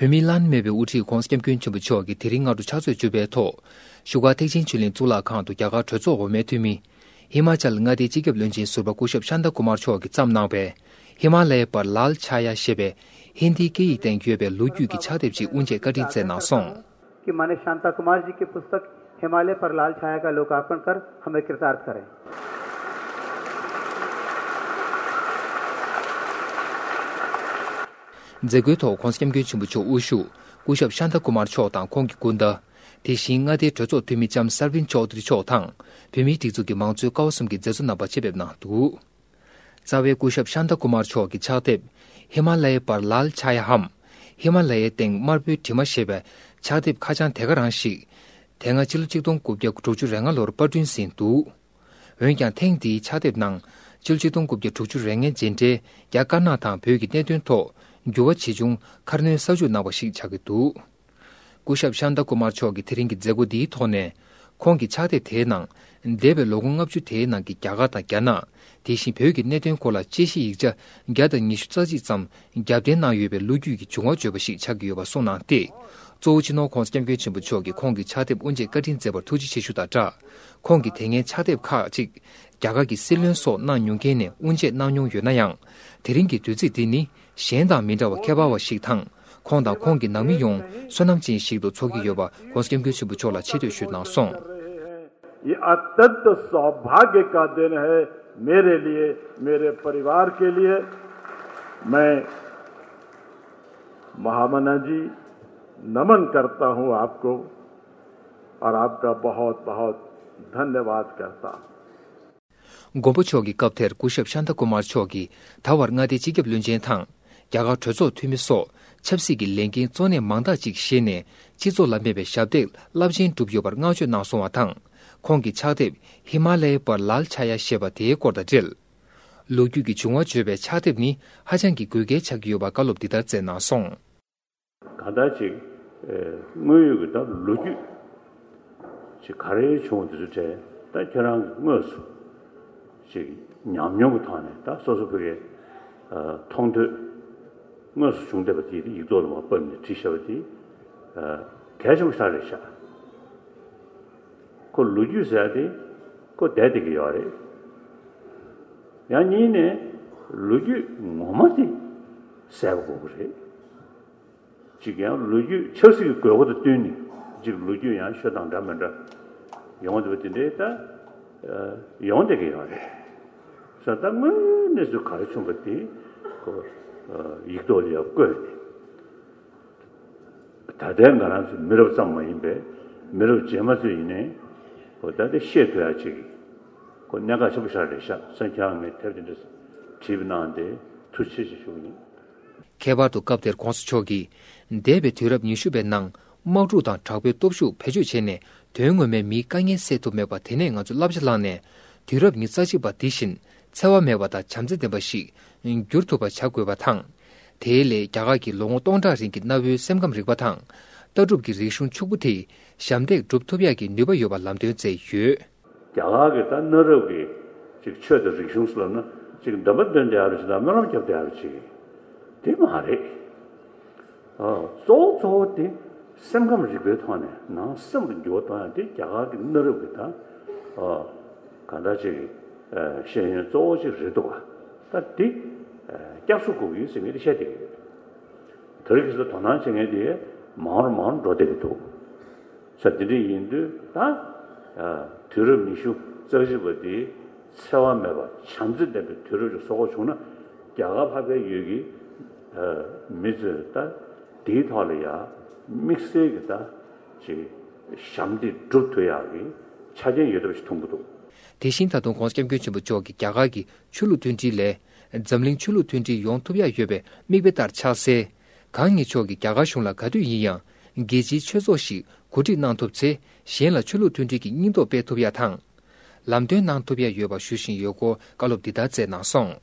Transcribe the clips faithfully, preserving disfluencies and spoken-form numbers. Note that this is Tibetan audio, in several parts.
བོད་མིའི་བླ་ན་མེད་པའི་དབུ་ཁྲིད་༧གོང་ས་༧སྐྱབས་མགོན་ཆེན་པོ་མཆོག་གིས་དེ་རིང་སྔ་དྲོ་ཕྱག་ཚོད་བཅུ་པའི་ཐོག་བཞུགས་སྒར་ཐེག་ཆེན་ཆོས་གླིང་གཙུག་ལག་ཁང་དུ་རྒྱ་གར་གྲོས་ཚོགས་འོག་མའི་འཐུས་མི། ཧི་མ་ཅལ་མངའ་སྡེའི་སྤྱི་ཁྱབ་བློན་ཆེན་ཟུར་པ་སྐུ་ཞབས་ཤཱན་ཏཱ་ཀུ་མར་མཆོག་གིས་བརྩམས་གནང་བའི་ཧི་མ་ལ་ཡ་པར་ལཱལ་ཆ་ཡ་ཞེས་པའི་ཧིན་དིའི་སྐད་ཡིག་སྟེང་ཡོད་པའི་ལོ་རྒྱུས་ཀྱི་ཕྱག་དེབ་ཅིག་དབུ་འབྱེད་བཀའ་དྲིན་སྩལ་གནང་སོང་། कि माननीय शांता कुमार जी की पुस्तक हिमालय पर लाल छाया का लोकार्पण कर हमें कृतार्थ करें। མཛད་སྒོའི་ཐོག་༧གོང་ས་༧སྐྱབས་མགོན་ཆེན་པོ་མཆོག་དབུ་བཞུགས་སྐུ་ཞབས་ཤཱན་ཏཱ་ཀུ་མར་མཆོག་དང་ཁོང་གི་སྐུ་ཟླ། དེ་བཞིན་མངའ་སྡེའི་གྲོས་ཚོགས་འཐུས་མི་ལྕམ་སར་བིན་ཅོ་དྷི་རི་མཆོག་དང་བོད་མིའི་སྒྲིག་འཛུགས་ཀྱི་མང་གཙོའི་ཀ་བ་གསུམ་གྱི་མཛད་གཙོ་རྣམ་པ་ཆེད་ཕེབས་གནང་འདུག། རྩ་བའི་སྐུ་ཞབས་ཤཱན་ཏཱ་ཀུ་མར་མཆོག་གི་ཕྱག་དེབ་ཧི་མ་ལ་ཡའི་བར་ལཱལ་ཆ་ཡ་འམ། ཧི་མ་ལ་ཡའི་སྟེང་དམར་པོའི་གྲིབ་མ་ཞེས་པའི་ཕྱག་དེབ་ཁ་བྱང་དེ་ག་རང་ཞིག་དེ་སྔ་ཕྱི་ལོ་ཆིག་སྟོང་དགུ་བརྒྱ་དྲུག་ཅུ་རེ་ལྔ་ལོར་པར་སྐྲུན་ཟིན་འདུག། འོན་ཀྱང་ཐེངས་འདིའི་ཕྱག་དེབ་ནང་ཕྱི་ལོ་ཆིག་སྟོང་དགུ་བརྒྱ་དྲུག་ཅུ་རེ་ལྔའི་རྗེས་འབྲེལ་རྒྱ་དཀར་ནག་དང་བོད་ཀྱི་གནད་དོན་ཐོག་འགྱུར་བ་ཇི་བྱུང་ཁ་སྣོན་གསར་འཇུག་གནང་བ་ཞིག་ཆགས་ཀྱི་འདུག། སྐུ་ཞབས་ཤཱན་ཏཱ་ཀུ་མར་མཆོག་གིས་དེ་རིང་གི་མཛད་སྒོ་འདིའི་ཐོག་ནས། ཁོང་གི་ཕྱག་དེབ་དེའི་ནང་། འདས་པའི་ལོ་ངོ་ལྔ་བཅུ་དེའི་ནང་གི་རྒྱ་གར་དང་རྒྱ་ནག་དེ་བཞིན་བོད་ཀྱི་གནད་དོན་སྐོར་ལ་དཔྱད་གཞི་ཡིག་ཆ་བརྒྱ་དང་ཉི་ཤུ་རྩ་གཅིག་ཙམ་རྒྱབ་རྟེན་གནང་ཡོད་པའི་ལོ་རྒྱུས་ཀྱི་བྱུང་བ་བརྗོད་པ་ཞིག་ཆགས་ཀྱི་ཡོད་པ་གསུངས་གནང་སྟེ། གཙོ་བོ་སྤྱི་ནོར་༧གོང་ས་༧སྐྱབས་མགོན་ཆེན་པོ་མཆོག་གིས་ཁོང་གི་ཕྱག་དེབ་དབུ་འབྱེད་བཀའ་དྲིན་མཛད་པར་ཐུགས་རྗེ་ཆེ་ཞུ་དང་སྦྲགས། ཁོང་གིས་དེ་སྔའི་ཕྱག་དེབ་ཁག་ཅིག་རྒྱ་གར་གྱི་སྲིད་བློན་སོགས་གནང་མྱོང་མཁན་ནས་དབུ་འབྱེད་གནང་མྱོང་ཡོད་ན་ཡང་། དེ་རིང་གི་དུས་ཚིགས་འདི་ནི། གཞན་དང་མི་འདྲ་བ་ཁྱད་པར་བ་ཞིག་དང་། ཁོང་དང་ཁོང་གི་ནང་མི་ཡོངས་བསོད་ནམས་ཅན་ཞིག་ཏུ་ཚོར་གྱི་ཡོད་པ་༧གོང་ས་༧སྐྱབས་མགོན་ཆེན་པོ་མཆོག་ལ་ཆེ་བསྟོད་ཞུས་གནང་སོང་། ये अत्यंत सौभाग्य का दिन है मेरे लिए, मेरे परिवार के लिए। मैं महामना जी नमन करता हूं आपको और आपका बहुत बहुत धन्यवाद करता हूं। མགོན་པོ་མཆོག་གི་སྐབས་དེར་སྐུ་ཞབས་ཤཱན་ཏཱ་ཀུ་མར་མཆོག་གིས་ད་བར་མངའ་སྡེའི་སྤྱི་ཁྱབ་བློན་ཆེན་དང་། རྒྱ་གར་གྲོས་ཚོགས་འཐུས་མི་སོགས་ཆབ་སྲིད་ཀྱི་ལས་འགན་གཙོ་གནད་མང་དག་ཅིག་བཞེས་ནས་སྤྱི་ཚོགས་ལ་དམིགས་པའི་ཞབས་འདེགས་རླབས་ཆེན་བསྒྲུབས་ཡོད་པར་བསྔགས་བརྗོད་གནང་སོང་བ་དང་། ཁོང་གི་ཕྱག་དེབ་ཧི་མ་ལ་ཡའི་བར་ལཱལ་ཆ་ཡ་ཞེས་པ་དེའི་སྐོར་དང་འབྲེལ། ལོ་རྒྱུས་ཀྱི་བྱུང་བ་བརྗོད་པའི་ཕྱག་དེབ་ནི་ཧ་ཅང་གི་དགོས་གལ་ཆགས་ཀྱི་ཡོད་པ་བཀའ་སློབ་འདི་ལྟར་སྩལ་གནང་སོང་། གང་ལྟར་ཅིག་ཨེ། དངོས་ཡོད་ཀྱི་ད་ལོ་རྒྱུས་ཅིག་ག་རེ་བྱུང་དེ་ཚོ་གྲས་ད་ཁྱེད་རང་གི་དངོས་སུ་ཅིག་ཉམས་མྱོང་གི་ཐོག་ནས་ད་སོ་སོ་ཕ་གིའི་ཨ། མཐོང་ཐོས་དངོས་སུ་བྱུང་བསྡད་པ་དེ་ཡིག་ཐོག་ལ་མར་ཕབ་ནས་བྲིས་བཞག་པ་དེ་ཨ། གལ་ཆེན་པོ་ཞེ་དྲག་རེད་ཤག། ཁོ་ལོ་རྒྱུས་ཟེར་ཡ་དེ་ཁོ་བསྡད་བསྡད་ཀྱི་ཡོད་རེད། ཡང་གཉིས་ནས་ལོ་རྒྱུས་ངོ་མ་དེ་གསལ་པོ་དགོས་ཀྱི་རེད། གཅིག་ཡང་ལོ་རྒྱུས་ཆབ་སྲིད་ཀྱི་དགོས་མཁོ་དང་བསྟུན་ནས་གཅིག་ལོ་རྒྱུས་ཡང་ཤོད་སྟངས་འདྲ་མི་འདྲ་ཡོང་བསྡད་པ་དེ་འདྲའི་ད་ཡོང་བསྡད་ཀྱི་ཡོད་རེད། ས་ད་དངོས་གནས་སུ་ག་རེ་བྱུང་བ་དེ་ཁོ་ཡིག་ཐོག་ལ་ཡང་བཀོད་ནས། ད་ལྟའི་ང་རང་ཚོ་མི་རབས་ཙམ་མ་ཡིན་པའི་མི་རབས་རྗེས་མ་ཚོས་ཡིན་ནའི་ཁོ་ད་ལྟ་ཤེས་ཐུབ་ཡག་ཅིག་ཁོ་གནད་འགག་ཆེན་པོ་ཞིག་རེད་ཤག་སེམས་ཁྱང་ངས་དེབ་དེ་འདྲ་བྲིས་པ་གནང་སྟེ་ཐུགས་རྗེ་ཆེ་ཞུ་གི་ཡིན། ཁྱད་པར་དུ་སྐབས་དེར་༧གོང་ས་མཆོག་གིས་འདས་པའི་དུས་རབས་ཉི་ཤུ་པའི་ནང་དམག་འཁྲུག་དང་དྲག་པོའི་སྟོབས་ཤུགས་བེད་སྤྱོད་བྱས་ནས་དོན་ངོ་མའི་མིའི་དཀའ་ངལ་སེལ་ཐུབ་མེད་པ་དེ་ནས་ང་ཚོས་བསླབ་བྱ་བླངས་ནས་དུས་རབས་ཉི་ཤུ་རྩ་གཅིག་པ་འདི་བཞིན་འཚེ་བ་མེད་པ་དང་བྱམས་བརྩེ་ལྡན་པ་ཞིག་འགྱུར་ཐུབ་པ་བྱ་དགོས་པ་དང་། དེའི་སླད་རྒྱ་གར་གྱི་ལོ་ངོ་སྟོང་ཕྲག་རིང་གི་གནའ་བོའི་སེམས་ཁམས་རིག་པ་དང་། ལྟ་གྲུབ་ཀྱི་རིག་གཞུང་ཕྱུག་པོ་དེས་ཞབས་འདེགས་སྒྲུབ་ཐུབ་ཡག་གི་ནུས་པ་ཡོད་པ་ལམ་སྟོན་མཛད་ཡོད། རྒྱ་གར་གྱི་ད་གནའ་རབས་ཀྱི་ཅིག་ཆོས་དང་རིག་གཞུང་ཟེར་ལབ་ན་ཅིག་འདོན་པ་འདོན་བསྡད་ཡག་རེད་ཅིག་དང་སྨོན་ལམ་རྒྱབ་བསྡད་ཡག་རེད་ཅིག་དེ་མ་རེད། ཨ། གཙོ་བོ་གཙོ་བོ་དེ་སེམས་ཁམས་རིག་པའི་ཐོག་ནས་ནང་སེམས་ཀྱི་འགྱུར་བ་གཏོང་ཡག་དེ་རྒྱ་གར་གྱི་གནའ་རབས་ཀྱི་ད་ཨ། གང་ལྟར་ཅིག་ཨ། ཤེས་ཡོན་གཙོ་བོ་ཅིག་རེད་འདུག་ག་ད་དེ་ཨ། བསྐྱར་གསོ་དགོས་ཀྱི་ཡོད་ཟེར་མཁན་དེ་བཤད་བསྡད་ཀྱི་ཡོད། དེ་རིང་ཁ་སང་དོ་སྣང་བྱེད་མཁན་དེ་མང་རུ་མང་རུ་འགྲོ་བསྡད་ཀྱི་འདུག་ས་དེ་འདྲ་ཡིན་དུས་ད་ཨ། དུས་རབས་ཉི་ཤུ་རྩ་གཅིག་པ་འདི་འཚེ་བ་མེད་པ་བྱམས་བརྩེ་ལྡན་པའི་དུས་རབས་ཅིག་བཟོ་དགོས་བྱུང་ན་རྒྱ་གར་ཕ་གིར་ཡོད་ཀྱི་ཨ། མི་ཚོས་ད་དེའི་ཐོག་ལ་ཡ་དམིགས་བསལ་གྱི་ད་ཅིག་ཞབས་འདེགས་སྒྲུབ་ཐུབ་ཡག་གི་ཆ་རྐྱེན་ཡོད་ཐབས་ཤིག་མཐོང་གི་འདུག་དེ་བཞིན་ད་དུང་༧གོང་ས་༧སྐྱབས་མགོན་ཆེན་པོ་མཆོག་གིས་རྒྱ་གར་གྱི་ཆོས་ལུགས་མཐུན་སྒྲིལ་ལས་འཛམ་གླིང་ཆོས་ལུགས་མཐུན་སྒྲིལ་ཡོང་ཐུབ་ཡག་ཡོད་པའི་མིག་དཔེ་ལྟར་ཆགས་གསལ། གང་ཉིད་མཆོག་གིས་རྒྱ་གར་གཞུང་ལ་ག་དུས་ཡིན་ཡང་རྒྱལ་སྤྱིའི་ཆོས་ཚོགས་ཤིག་གོ་སྒྲིག་གནང་ཐུབ་ཚེ་གཞན་ལ་ཆོས་ལུགས་མཐུན་སྒྲིལ་གྱི་སྙིང་སྟོབས་སྤེལ་ཐུབ་ཡག་དང་། ལམ་སྟོན་གནང་ཐུབ་ཡག་ཡོད་པ་ཞུ་བཞིན་ཡོད་སྐོར་བཀའ་སློབ་འདི་ལྟར་སྩལ་གནང་སོང་།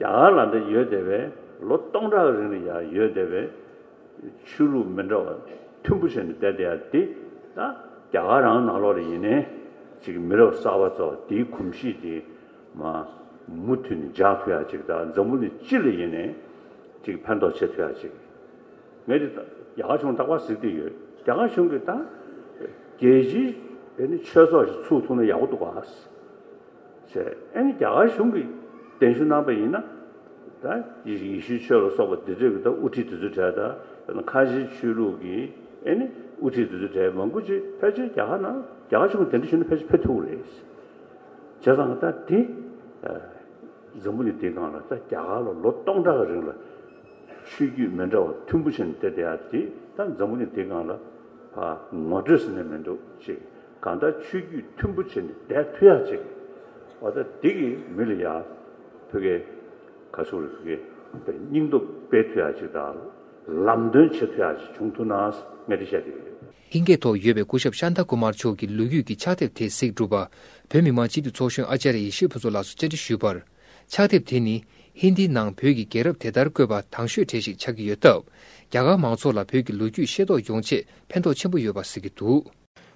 རྒྱ་གར་ལ་འདི་ཡོད་བསྡད་པའི་ལོ་སྟོང་ཕྲག་རིང་ལ་ཡང་ཡོད་བསྡད་པའི་ཆོས་ལུགས་མི་འདྲ་བ་མཐུན་པོ་བྱས་ནས་བསྡད་བསྡད་ཡག་འདི་ད་རྒྱ་གར་རང་ནང་ལོགས་ལ་ཡིན་ནའི་ཅིག་མི་རབས་གསར་པ་ཚོ་དེའི་གོམས་གཤིས་དེ་མ་མུ་མཐུད་ནས་འཇགས་ཐུབ་ཡག་ཅིག་དང་འཛམ་བུ་གླིང་སྤྱི་ལ་ཡིན་ནའི་ཅིག་ཕན་ཐོགས་བྱེད་ཐུབ་ཡག་ཅིག་ངས་འདི་ རྒྱ་གར་གཞུང་རྟག་པར་གཟིགས་བསྡད་ཡོད། རྒྱ་གར་གཞུང་གིས་ད་རྒྱལ་སྤྱིའི་ཨེ་ནི་ཆོས་ཚོགས་ཤིག་ཚུགས་ཐུབ་ན་ཡག་པོ་འདུག་ག་ཟེར། ཨེ་ནི་རྒྱ་གར་གཞུང་གིས་གདན་ཞུ་གནང་པ་ཡིན་ན། ད་ཡེ་ཡེ་ཤུའི་ཆོས་ལ་སོགས་པ་འདི་འདྲ་གི་ད་དབུ་ཁྲིད་དེ་ཚོའི་གྲས་དང་། དཔེར་ན་ཁ་ཆེའི་ཆོས་ལུགས་ཀྱི་ཨེ་ནི་དབུ་ཁྲིད་དེ་ཚོའི་གྲས་མང་པོ་ཅིག་ཕལ་ཆེར་རྒྱ་གར་ནང་རྒྱ་གར་གཞུང་གི་གདན་འདྲེན་ཞུས་ན་ཕལ་ཆེར་ཕེབས་ཐུབ་ཀྱི་རེད། བྱས་ཙང་ད་དེ་འཛམ་བུ་གླིང་འདིའི་སྒང་ལ་ད་རྒྱ་གར་ལ་ལོ་སྟོང་ཕྲག་གི་རིང་ལ་ཆོས་བརྒྱུད་མི་འདྲ་བ་མཐུན་པོ་བྱས་ནས་བསྡད་བསྡད་ཡ་དེ་ད་འཛམ་བུ་གླིང་འདིའི་སྒང་ལ་ཕར་ངོ་སྤྲོད་ཟེར་ནས་མི་འདུག་ཅིག་གང་ལྟར་ཆོས་བརྒྱུད་མཐུན་པོ་བྱས་ནས་བསྡད་ཐུབ་ཡ་ཅིག་འོ་ད་འདི་གིས་མི་ལ་ཡ་ཕ་གི་ག་ཚོད་རེད། ཕ་གི་སྙིང་སྟོབས་སྤེལ་ཐུབ་ཡ་ཅིག་དང་ལམ་སྟོན་བྱེད་ཐུབ་ཡ་ཅིག་བྱུང་ཐུབ་ན་ངས་འདི་བཤད་ཀྱི་ཡོད། ཧིང་སྐད་ཐོག་ཡོད་པའི་སྐུ་ཞབས་ཤཱནྟ་ཀུ་མར་མཆོག་གི་ལོ་རྒྱུས་ཀྱི་ཕྱག་དེབ་དེ་གཟིགས་གྲུབ་པ། བོད་མི་མང་སྤྱི་འཐུས་ཚོགས་གཞོན་ཨ་ཅཱརྱ་ཡེ་ཤེས་ཕུན་ཚོགས་ལགས་སུ་བཅར་འདྲི་ཞུས་པར། ཕྱག་དེབ་དེ་ནི་ཧིན་དིའི་ནང་བོད་ཀྱི་རྒྱལ་རབས་དེ་ལྟར་བཀོད་པ་དང་ཤོས་གྲས་ཤིག་ཆགས་ཀྱི་ཡོད་སྟབས། རྒྱ་གར་མང་ཚོགས་ལ་བོད་ཀྱི་ལོ་རྒྱུས་ཤེས་རྟོགས་ཡོང་ཆེད་ཕན་ཐོགས་ཆེན་པོ་ཡོད་པ་གཟིགས་ཀྱི་འདུག་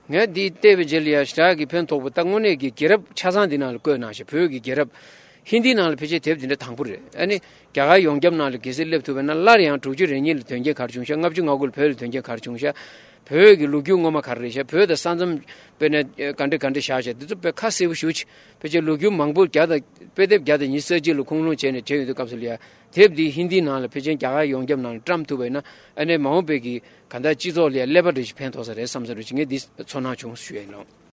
ངས་འདི་བལྟས་པའི་རྗེས་ལ་ཡང་ཞེ་དྲག་གི་ཕན་ཐོགས་པ། ད་དངོས་གནས་ཀྱི་རྒྱལ་རབས་ཆ་ཚང་འདི་ནང་ལ་བཀོད་གནང་ཤག་བོད་ཀྱི་རྒྱལ་རབས་ཧིན་དིའི་ནང་ལ་ཕལ་ཆེར་དེབ་འདི་འདྲ་དང་པོ་རེད། ཨ་ནི་རྒྱ་གར་ཡོངས་ཁྱབ་ནང་ལ་གལ་སྲིད་སླེབས་ཐུབ་པ་ཡིན་ན། སླར་ཡང་དྲུག་ཅུ་རེ་གཉིས་ལ་དོན་རྐྱེན་ག་རེ་བྱུང་ཤག་ལྔ་བཅུ་ང་དགུ་ལ་བོད་ལ་དོན་རྐྱེན་ག་རེ་བྱུང་ཤག་བོད་ཀྱི་ལོ་རྒྱུས་སྔོན་མ་ག་རེ་རེད་ཤག་བོད་དང་ས་མཚམས་དཔེར་ན་ག་འདྲ་ག་འདྲ་བཞག་ཤག་འདི་ཚོ་དཔེ་ཁ་གསལ་པོ་ཞེ་པོ་ཅིག་ཕལ་ཆེར་ལོ་རྒྱུས་མང་པོ་བརྒྱ་དང་། དཔེ་དེབ་བརྒྱ་དང་ཉི་ཤུ་རྩ་གཅིག་ལ་ཁུངས་ལུང་བྱས་ནས་བྲིས་ཡོང་དུས་སྐབས་སུ་ལ་ཡ། དེབ་འདི་ཧིན་དིའི་ནང་ལ་ཕལ་ཆེར་རྒྱ་གར་ཡོངས་ཁྱབ་ནང་ལ་བཀྲམ་ཐུབ་པ་ཡིན་ན། ཨ་ནི་མ་འོངས་པའི་གི་གང་ལྟར་སྤྱི་ཚོགས་ལ་ཡ་ཀླད་པ་འདྲ་ཞིག་ཕན་ཐོགས་ས་རེད་བསམ་ས་རེད་ཅིག་ངས་འདི་ཚོར་སྣང་བྱུང་ཞུ་ཡ་ཡིན་ལགས།